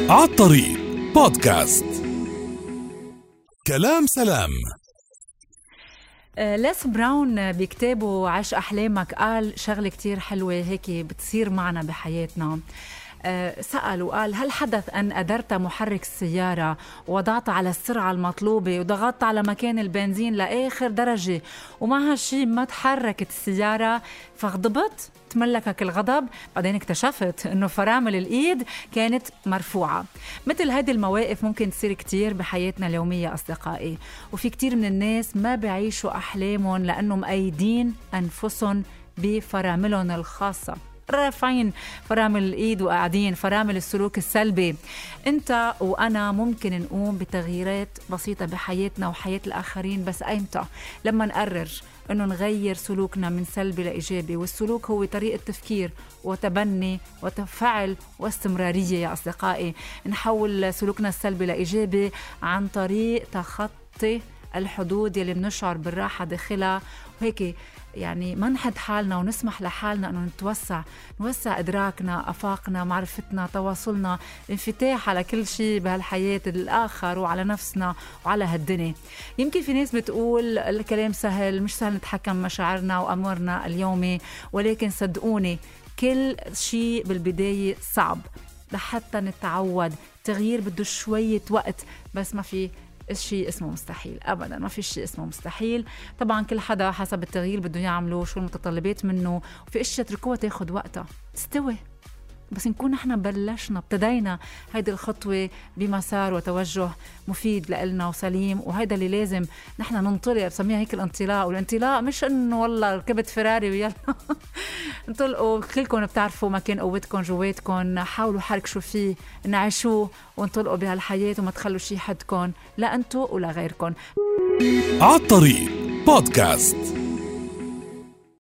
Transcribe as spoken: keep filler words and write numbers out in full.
عالطريق بودكاست. كلام سلام. ليس براون بكتابه عيش أحلامك قال شغلة كتير حلوة هيك بتصير معنا بحياتنا. سأل وقال: هل حدث أن أدرت محرك السيارة ووضعت على السرعة المطلوبة وضغطت على مكان البنزين لآخر درجة ومع هالشي ما تحركت السيارة فغضبت؟ تملكك الغضب، بعدين اكتشفت انه فرامل الايد كانت مرفوعة. مثل هذه المواقف ممكن تصير كتير بحياتنا اليومية أصدقائي، وفي كتير من الناس ما بيعيشوا أحلامهم لأنهم مقيدين أنفسهم بفراملهم الخاصة، رافعين فرامل الإيد وقاعدين فرامل السلوك السلبي. انت وأنا ممكن نقوم بتغييرات بسيطة بحياتنا وحياة الآخرين، بس أيمتى؟ لما نقرر أنه نغير سلوكنا من سلبي لإيجابي، والسلوك هو طريقة تفكير وتبني وتفعل واستمرارية يا أصدقائي. نحول سلوكنا السلبي لإيجابي عن طريق تخطي الحدود اللي بنشعر بالراحة داخلها، وهيك يعني ما نحد حالنا ونسمح لحالنا أنه نتوسع نوسع إدراكنا، أفاقنا، معرفتنا، تواصلنا، انفتاح على كل شيء بهالحياة، الآخر وعلى نفسنا وعلى هالدنيا. يمكن في ناس بتقول الكلام سهل، مش سهل نتحكم مشاعرنا وأمورنا اليومي، ولكن صدقوني كل شيء بالبداية صعب لحتى نتعود. تغيير بده شوية وقت، بس ما في شيء اسمه مستحيل أبدا، ما في شيء اسمه مستحيل. طبعا كل حدا حسب التغيير بده يعمله، شو المتطلبات منه، وفي اشياء تركوها تاخد وقتها تستوي، بس نكون نحن بلشنا ابتدينا هيدي الخطوة بمسار وتوجه مفيد لإلنا وسليم، وهيدا اللي لازم نحن ننطلق. بسميها هيك الانطلاق، والانطلاق مش انه والله ركبت فراري ويلا انطلقوا. كلكم بتعرفوا مكان قوتكم جواتكم، حاولوا حركشوا فيه، نعيشوه وانطلقوا بهالحياة وما تخلوا شي حدكم لا انتو ولا غيركم. عالطريق بودكاست.